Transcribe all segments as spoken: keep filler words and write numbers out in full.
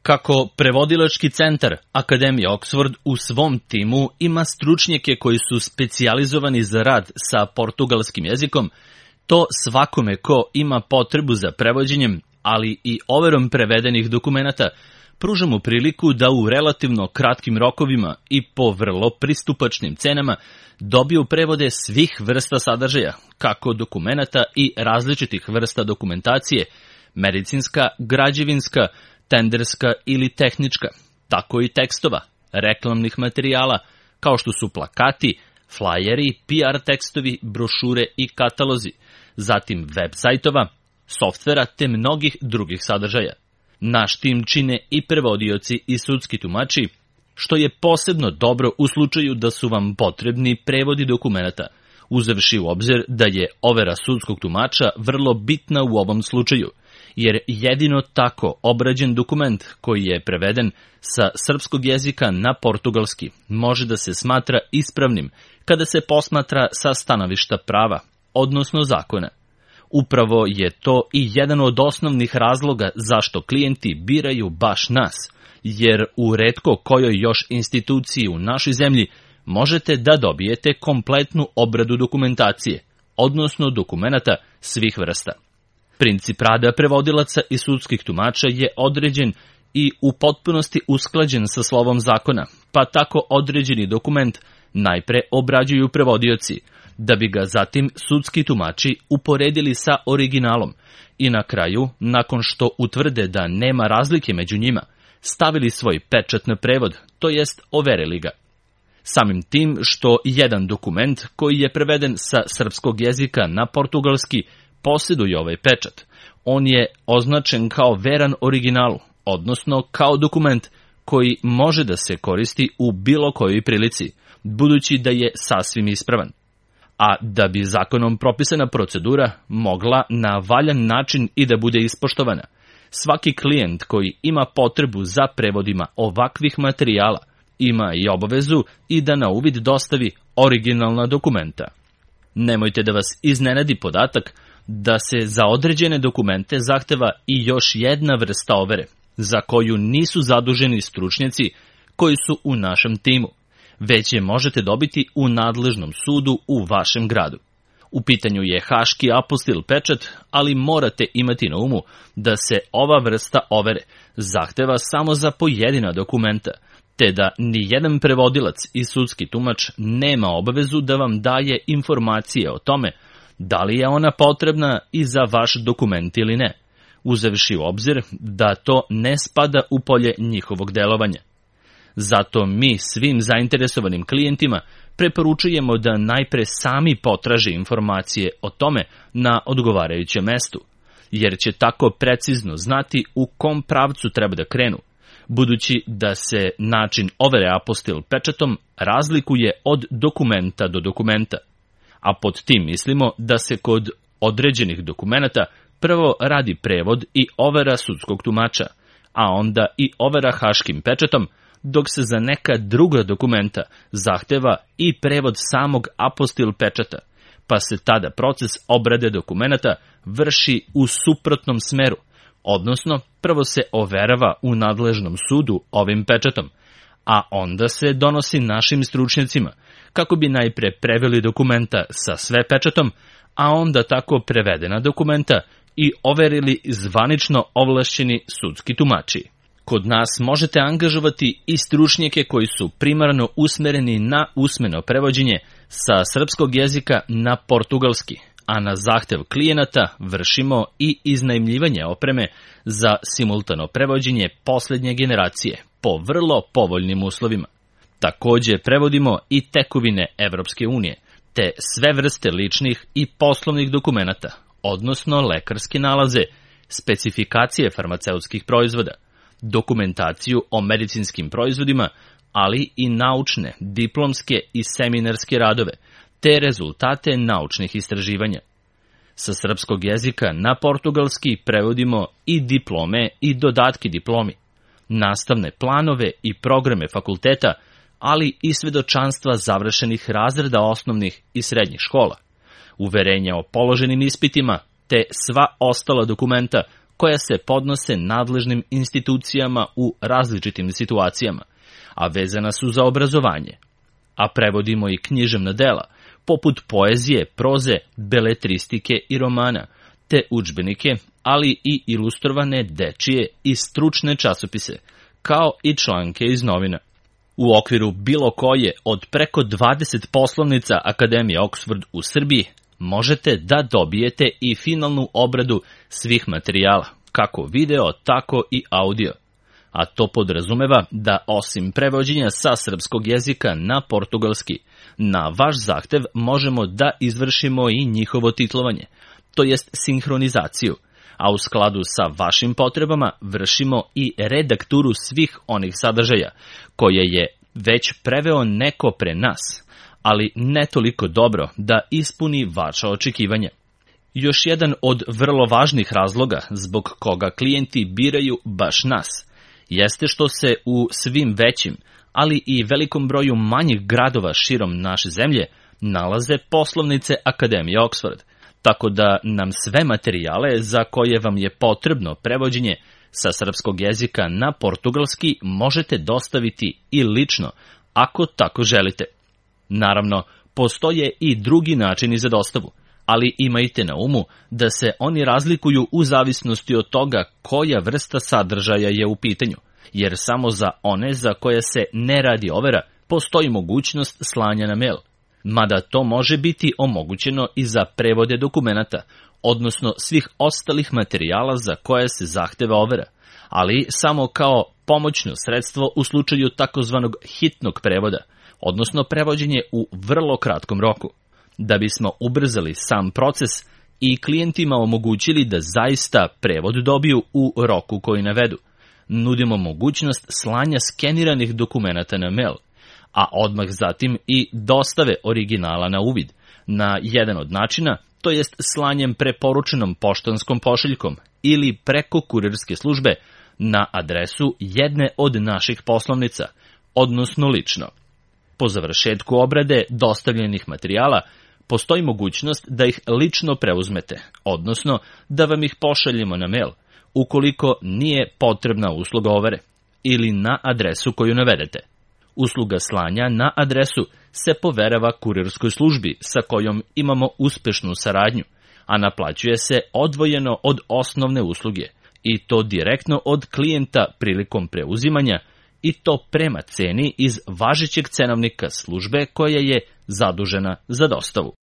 Kako prevodilački centar Akademije Oxford u svom timu ima stručnjake koji su specijalizovani za rad sa portugalskim jezikom, to svakome ko ima potrebu za prevođenjem, ali i overom prevedenih dokumenata, pruža mu priliku da u relativno kratkim rokovima i po vrlo pristupačnim cenama dobiju prevode svih vrsta sadržaja, kako dokumenata i različitih vrsta dokumentacije, medicinska, građevinska, tenderska ili tehnička, tako i tekstova, reklamnih materijala, kao što su plakati, flajeri, P R tekstovi, brošure i katalozi, zatim web sajtova, softvera te mnogih drugih sadržaja. Naš tim čine i prevodioci i sudski tumači, što je posebno dobro u slučaju da su vam potrebni prevodi dokumenata, uzevši u obzir da je overa sudskog tumača vrlo bitna u ovom slučaju, jer jedino tako obrađen dokument koji je preveden sa srpskog jezika na portugalski može da se smatra ispravnim kada se posmatra sa stanovišta prava, odnosno zakona. Upravo je to i jedan od osnovnih razloga zašto klijenti biraju baš nas, jer u retko kojoj još instituciji u našoj zemlji možete da dobijete kompletnu obradu dokumentacije, odnosno dokumenata svih vrsta. Princip rada prevodilaca i sudskih tumača je određen i u potpunosti usklađen sa slovom zakona, pa tako određeni dokument najpre obrađuju prevodioci, da bi ga zatim sudski tumači uporedili sa originalom i na kraju, nakon što utvrde da nema razlike među njima, stavili svoj pečat na prevod, to jest overili ga. Samim tim što jedan dokument koji je preveden sa srpskog jezika na portugalski posjeduje ovaj pečat, on je označen kao veran originalu, odnosno kao dokument koji može da se koristi u bilo kojoj prilici, budući da je sasvim ispravan. A da bi zakonom propisana procedura mogla na valjan način i da bude ispoštovana, svaki klijent koji ima potrebu za prevodima ovakvih materijala ima i obavezu i da na uvid dostavi originalna dokumenta. Nemojte da vas iznenadi podatak da se za određene dokumente zahteva i još jedna vrsta overe, za koju nisu zaduženi stručnjaci koji su u našem timu, već je možete dobiti u nadležnom sudu u vašem gradu. U pitanju je haški apostil pečat, ali morate imati na umu da se ova vrsta overe zahteva samo za pojedina dokumenta, te da ni jedan prevodilac i sudski tumač nema obavezu da vam daje informacije o tome da li je ona potrebna i za vaš dokument ili ne, uzevši u obzir da to ne spada u polje njihovog delovanja. Zato mi svim zainteresovanim klijentima preporučujemo da najpre sami potraže informacije o tome na odgovarajućem mestu, jer će tako precizno znati u kom pravcu treba da krenu, budući da se način overe apostil pečatom razlikuje od dokumenta do dokumenta. A pod tim mislimo da se kod određenih dokumenata prvo radi prevod i overa sudskog tumača, a onda i overa haškim pečatom, dok se za neka druga dokumenta zahteva i prevod samog apostil pečata, pa se tada proces obrade dokumenata vrši u suprotnom smeru, odnosno prvo se overava u nadležnom sudu ovim pečatom, a onda se donosi našim stručnjacima, kako bi najpre preveli dokumenta sa sve pečatom, a onda tako prevedena dokumenta i overili zvanično ovlašćeni sudski tumači. Kod nas možete angažovati i stručnjake koji su primarno usmereni na usmeno prevođenje sa srpskog jezika na portugalski, a na zahtev klijenata vršimo i iznajmljivanje opreme za simultano prevođenje poslednje generacije po vrlo povoljnim uslovima. Takođe prevodimo i tekovine Evropske unije, te sve vrste ličnih i poslovnih dokumenata, odnosno lekarske nalaze, specifikacije farmaceutskih proizvoda, dokumentaciju o medicinskim proizvodima, ali i naučne, diplomske i seminarske radove, te rezultate naučnih istraživanja. Sa srpskog jezika na portugalski prevodimo i diplome i dodatke diplomi, nastavne planove i programe fakulteta, ali i svedočanstva završenih razreda osnovnih i srednjih škola, uverenja o položenim ispitima, te sva ostala dokumenta koja se podnose nadležnim institucijama u različitim situacijama, a vezana su za obrazovanje. A prevodimo i književna dela, poput poezije, proze, beletristike i romana, te udžbenike, ali i ilustrovane dečije i stručne časopise, kao i članke iz novina. U okviru bilo koje od preko dvadeset poslovnica Akademije Oxford u Srbiji možete da dobijete i finalnu obradu svih materijala, kako video, tako i audio. A to podrazumeva da osim prevođenja sa srpskog jezika na portugalski, na vaš zahtev možemo da izvršimo i njihovo titlovanje, to jest sinhronizaciju, a u skladu sa vašim potrebama vršimo i redakturu svih onih sadržaja koje je već preveo neko pre nas, ali ne toliko dobro da ispuni vaša očekivanja. Još jedan od vrlo važnih razloga zbog koga klijenti biraju baš nas jeste što se u svim većim, ali i velikom broju manjih gradova širom naše zemlje nalaze poslovnice Akademije Oxford, tako da nam sve materijale za koje vam je potrebno prevođenje sa srpskog jezika na portugalski možete dostaviti i lično, ako tako želite. Naravno, postoje i drugi načini za dostavu, ali imajte na umu da se oni razlikuju u zavisnosti od toga koja vrsta sadržaja je u pitanju, jer samo za one za koje se ne radi overa postoji mogućnost slanja na mail. Mada to može biti omogućeno i za prevode dokumenata, odnosno svih ostalih materijala za koje se zahteva overa, ali samo kao pomoćno sredstvo u slučaju takozvanog hitnog prevoda, odnosno prevođenje u vrlo kratkom roku. Da bismo ubrzali sam proces i klijentima omogućili da zaista prevod dobiju u roku koji navedu, nudimo mogućnost slanja skeniranih dokumenata na mail, a odmah zatim i dostave originala na uvid, na jedan od načina, to jest slanjem preporučenom poštanskom pošiljkom ili preko kurirske službe na adresu jedne od naših poslovnica, odnosno lično. Po završetku obrade dostavljenih materijala postoji mogućnost da ih lično preuzmete, odnosno da vam ih pošaljemo na mail, ukoliko nije potrebna usluga overe, ili na adresu koju navedete. Usluga slanja na adresu se poverava kurirskoj službi sa kojom imamo uspešnu saradnju, a naplaćuje se odvojeno od osnovne usluge, i to direktno od klijenta prilikom preuzimanja, i to prema ceni iz važećeg cenovnika službe koja je zadužena za dostavu.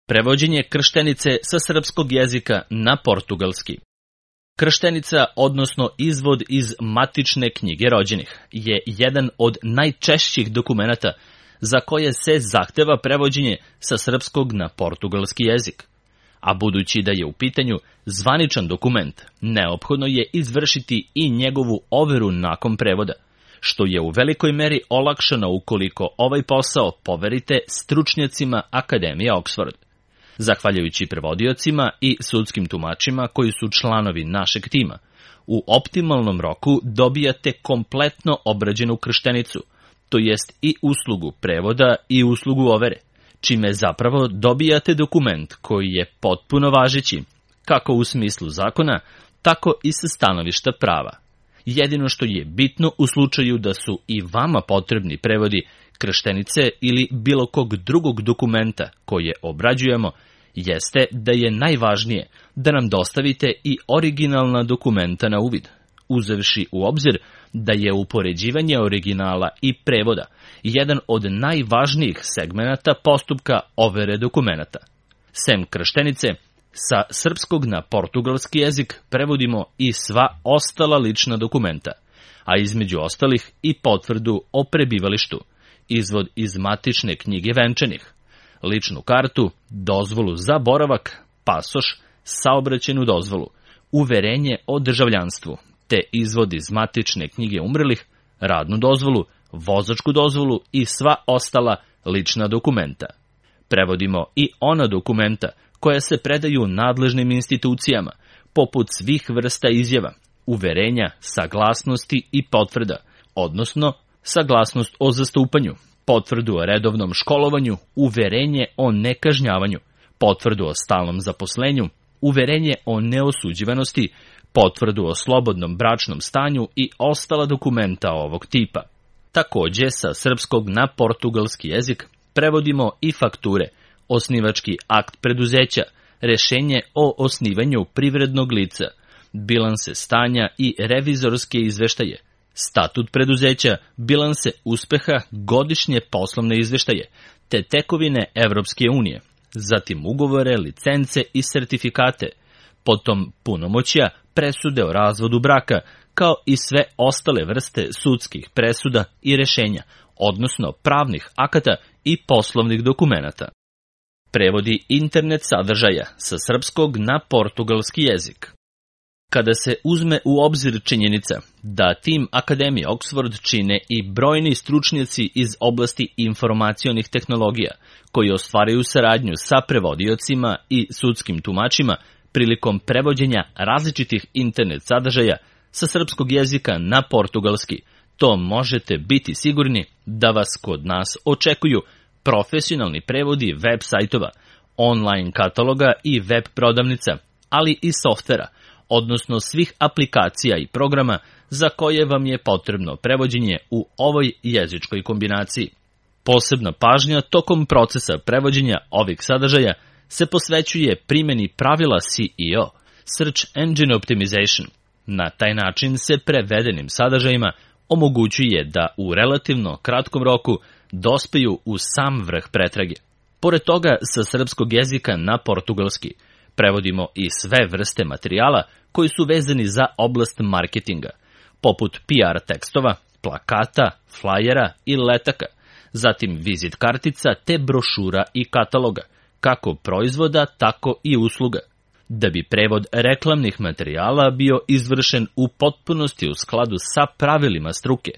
Prevođenje krštenice sa srpskog jezika na portugalski. Krštenica, odnosno izvod iz matične knjige rođenih, je jedan od najčešćih dokumenata za koje se zahteva prevođenje sa srpskog na portugalski jezik. A budući da je u pitanju zvaničan dokument, neophodno je izvršiti i njegovu overu nakon prevoda, što je u velikoj meri olakšano ukoliko ovaj posao poverite stručnjacima Akademije Oxford. Zahvaljujući prevodiocima i sudskim tumačima koji su članovi našeg tima, u optimalnom roku dobijate kompletno obrađenu krštenicu, to jest i uslugu prevoda i uslugu overe, čime zapravo dobijate dokument koji je potpuno važeći, kako u smislu zakona, tako i sa stanovišta prava. Jedino što je bitno u slučaju da su i vama potrebni prevodi krštenice ili bilo kog drugog dokumenta koje obrađujemo, jeste da je najvažnije da nam dostavite i originalna dokumenta na uvid, uzevši u obzir da je upoređivanje originala i prevoda jedan od najvažnijih segmenata postupka overe dokumenata. Sem krštenice, sa srpskog na portugalski jezik prevodimo i sva ostala lična dokumenta, a između ostalih i potvrdu o prebivalištu, izvod iz matične knjige venčanih, ličnu kartu, dozvolu za boravak, pasoš, saobraćajnu dozvolu, uverenje o državljanstvu, te izvod iz matične knjige umrlih, radnu dozvolu, vozačku dozvolu i sva ostala lična dokumenta. Prevodimo i ona dokumenta koja se predaju nadležnim institucijama, poput svih vrsta izjava, uverenja, saglasnosti i potvrda, odnosno saglasnost o zastupanju, potvrdu o redovnom školovanju, uverenje o nekažnjavanju, potvrdu o stalnom zaposlenju, uverenje o neosuđivanosti, potvrdu o slobodnom bračnom stanju i ostala dokumenta ovog tipa. Takođe, sa srpskog na portugalski jezik prevodimo i fakture, osnivački akt preduzeća, rešenje o osnivanju privrednog lica, bilanse stanja i revizorske izveštaje, statut preduzeća, bilanse uspeha, godišnje poslovne izveštaje, te tekovine Evropske unije, zatim ugovore, licence i sertifikate, potom punomoćja, presude o razvodu braka, kao i sve ostale vrste sudskih presuda i rešenja, odnosno pravnih akata i poslovnih dokumenata. Prevodi internet sadržaja sa srpskog na portugalski jezik. Kada se uzme u obzir činjenica da tim Akademije Oxford čine i brojni stručnjaci iz oblasti informacionih tehnologija, koji ostvaraju saradnju sa prevodiocima i sudskim tumačima prilikom prevođenja različitih internet sadržaja sa srpskog jezika na portugalski, to možete biti sigurni da vas kod nas očekuju profesionalni prevodi web sajtova, online kataloga i web prodavnica, ali i softvera, odnosno svih aplikacija i programa za koje vam je potrebno prevođenje u ovoj jezičkoj kombinaciji. Posebna pažnja tokom procesa prevođenja ovih sadržaja se posvećuje primjeni pravila C E O, Search Engine Optimization. Na taj način se prevedenim sadržajima omogućuje da u relativno kratkom roku dospeju u sam vrh pretrage. Pored toga, sa srpskog jezika na portugalski prevodimo i sve vrste materijala koji su vezani za oblast marketinga, poput P R tekstova, plakata, flajera i letaka, zatim vizit kartica te brošura i kataloga, kako proizvoda, tako i usluga. Da bi prevod reklamnih materijala bio izvršen u potpunosti u skladu sa pravilima struke,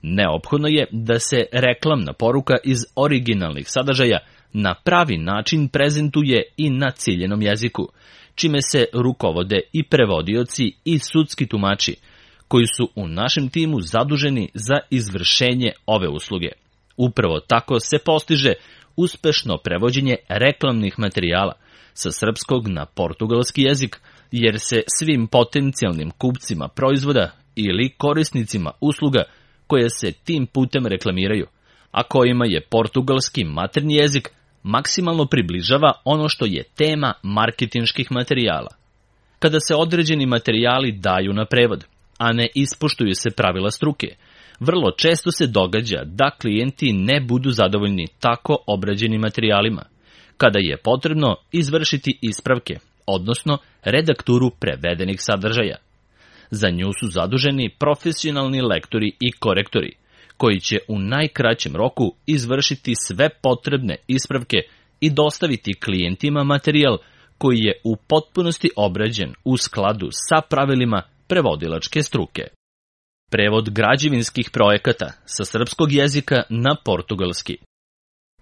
neophodno je da se reklamna poruka iz originalnih sadržaja na pravi način prezentuje i na ciljenom jeziku, čime se rukovode i prevodioci i sudski tumači, koji su u našem timu zaduženi za izvršenje ove usluge. Upravo tako se postiže uspešno prevođenje reklamnih materijala sa srpskog na portugalski jezik, jer se svim potencijalnim kupcima proizvoda ili korisnicima usluga koje se tim putem reklamiraju, a kojima je portugalski maternji jezik, maksimalno približava ono što je tema marketinških materijala. Kada se određeni materijali daju na prevod, a ne ispoštuju se pravila struke, vrlo često se događa da klijenti ne budu zadovoljni tako obrađenim materijalima, kada je potrebno izvršiti ispravke, odnosno redakturu prevedenih sadržaja. Za nju su zaduženi profesionalni lektori i korektori, koji će u najkraćem roku izvršiti sve potrebne ispravke i dostaviti klijentima materijal koji je u potpunosti obrađen u skladu sa pravilima prevodilačke struke. Prevod građevinskih projekata sa srpskog jezika na portugalski.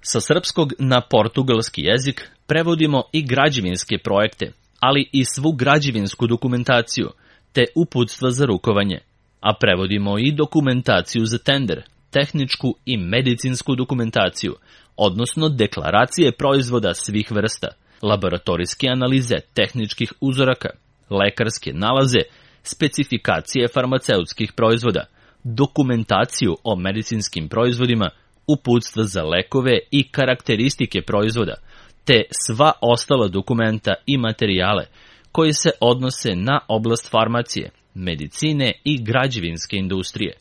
Sa srpskog na portugalski jezik prevodimo i građevinske projekte, ali i svu građevinsku dokumentaciju, te uputstva za rukovanje, a prevodimo i dokumentaciju za tender, tehničku i medicinsku dokumentaciju, odnosno deklaracije proizvoda svih vrsta, laboratorijske analize tehničkih uzoraka, lekarske nalaze, specifikacije farmaceutskih proizvoda, dokumentaciju o medicinskim proizvodima, uputstva za lekove i karakteristike proizvoda, te sva ostala dokumenta i materijale koji se odnose na oblast farmacije, medicine i građevinske industrije.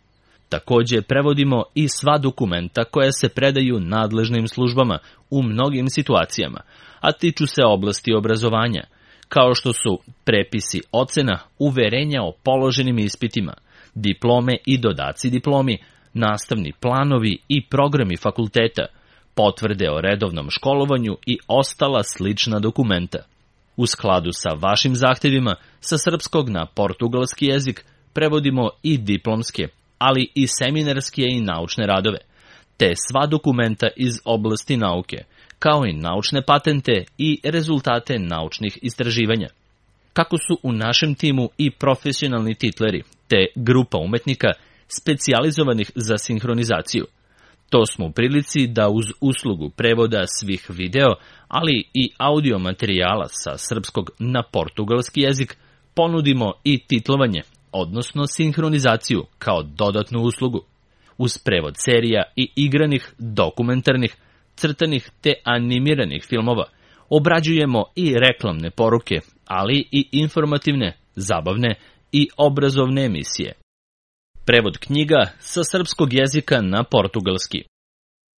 Takođe prevodimo i sva dokumenta koja se predaju nadležnim službama u mnogim situacijama, a tiču se oblasti obrazovanja, kao što su prepisi ocena, uverenja o položenim ispitima, diplome i dodaci diplomi, nastavni planovi i programi fakulteta, potvrde o redovnom školovanju i ostala slična dokumenta. U skladu sa vašim zahtevima, sa srpskog na portugalski jezik prevodimo i diplomske, ali i seminarske i naučne radove, te sva dokumenta iz oblasti nauke, kao i naučne patente i rezultate naučnih istraživanja. Kako su u našem timu i profesionalni titleri, te grupa umetnika specijalizovanih za sinhronizaciju, to smo u prilici da uz uslugu prevoda svih video, ali i audio materijala sa srpskog na portugalski jezik, ponudimo i titlovanje, odnosno sinhronizaciju kao dodatnu uslugu. Uz prevod serija i igranih, dokumentarnih, crtanih te animiranih filmova obrađujemo i reklamne poruke, ali i informativne, zabavne i obrazovne emisije. Prevod knjiga sa srpskog jezika na portugalski.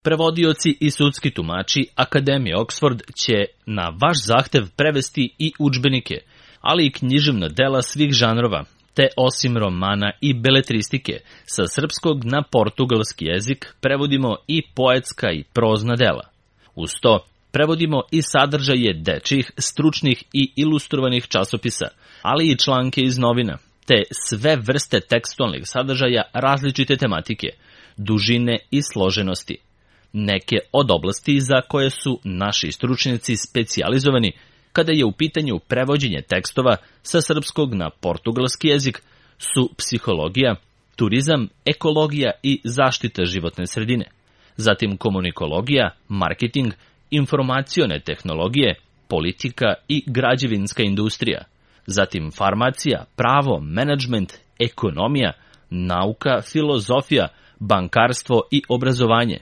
Prevodioci i sudski tumači Akademije Oxford će na vaš zahtev prevesti i udžbenike, ali i književna dela svih žanrova, te osim romana i beletristike, sa srpskog na portugalski jezik prevodimo i poetska i prozna dela. Uz to, prevodimo i sadržaje dečjih, stručnih i ilustrovanih časopisa, ali i članke iz novina, te sve vrste tekstualnih sadržaja različite tematike, dužine i složenosti. Neke od oblasti za koje su naši stručnjaci specijalizovani kada je u pitanju prevođenje tekstova sa srpskog na portugalski jezik su psihologija, turizam, ekologija i zaštita životne sredine, zatim komunikologija, marketing, informacione tehnologije, politika i građevinska industrija, zatim farmacija, pravo, menadžment, ekonomija, nauka, filozofija, bankarstvo i obrazovanje,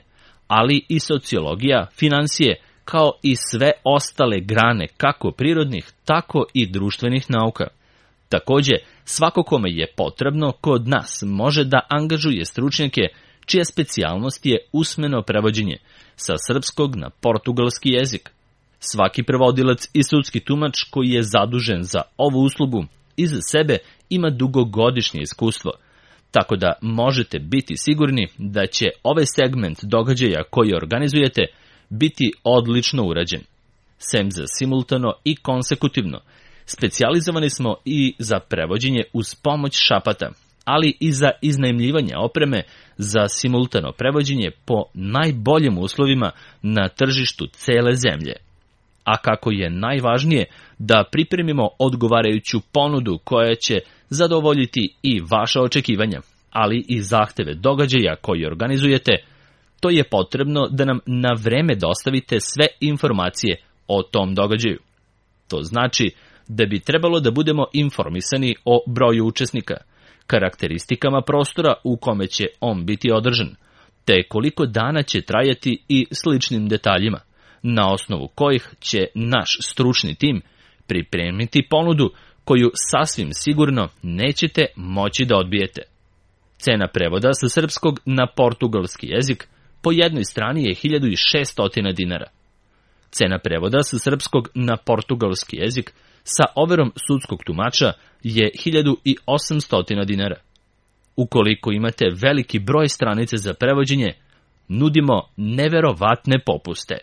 ali i sociologija, finansije, kao i sve ostale grane kako prirodnih, tako i društvenih nauka. Takođe, svako kome je potrebno kod nas može da angažuje stručnjake čija specijalnost je usmeno prevođenje sa srpskog na portugalski jezik. Svaki prevodilac i sudski tumač koji je zadužen za ovu uslugu iza sebe ima dugogodišnje iskustvo, tako da možete biti sigurni da će ovaj segment događaja koji organizujete biti odlično urađen. Sem za simultano i konsekutivno, specijalizovani smo i za prevođenje uz pomoć šapata, ali i za iznajmljivanje opreme za simultano prevođenje po najboljim uslovima na tržištu cele zemlje. A kako je najvažnije da pripremimo odgovarajuću ponudu koja će zadovoljiti i vaša očekivanja, ali i zahteve događaja koji organizujete, to je potrebno da nam na vreme dostavite sve informacije o tom događaju. To znači da bi trebalo da budemo informisani o broju učesnika, karakteristikama prostora u kome će on biti održan, te koliko dana će trajati i sličnim detaljima, na osnovu kojih će naš stručni tim pripremiti ponudu koju sasvim sigurno nećete moći da odbijete. Cena prevoda sa srpskog na portugalski jezik po jednoj strani je hiljadu šesto dinara. Cena prevoda sa srpskog na portugalski jezik sa overom sudskog tumača je hiljadu osamsto dinara. Ukoliko imate veliki broj stranice za prevođenje, nudimo neverovatne popuste.